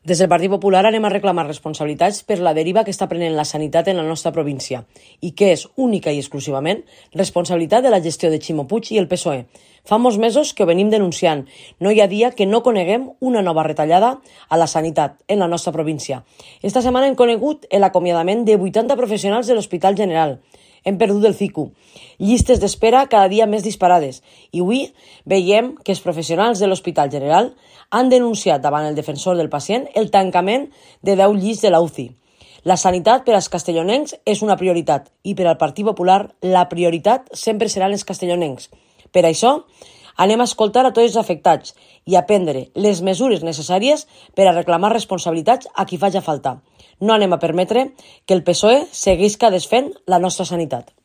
Des del Partit Popular anem a reclamar responsabilitats per la deriva que està prenent la sanitat en la nostra província i que és única i exclusivament responsabilitat de la gestió de Ximo Puig i el PSOE. Fa molts mesos que ho venim denunciant. No hi ha dia que no coneguem una nova retallada a la sanitat en la nostra província. Esta setmana hem conegut l'acomiadament de 80 professionals de l'Hospital General. Hem perdut el CICU. Llistes d'espera cada dia més disparades. I avui veiem que els professionals de l'Hospital General han denunciat davant el defensor del pacient el tancament de 10 llits de la UCI. La sanitat per als castellonencs és una prioritat i per al Partit Popular la prioritat sempre seran els castellonencs. Per això, anem a escoltar a tots els afectats i a prendre les mesures necessàries per a reclamar responsabilitats a qui faci falta. No anem a permetre que el PSOE seguisca desfent la nostra sanitat.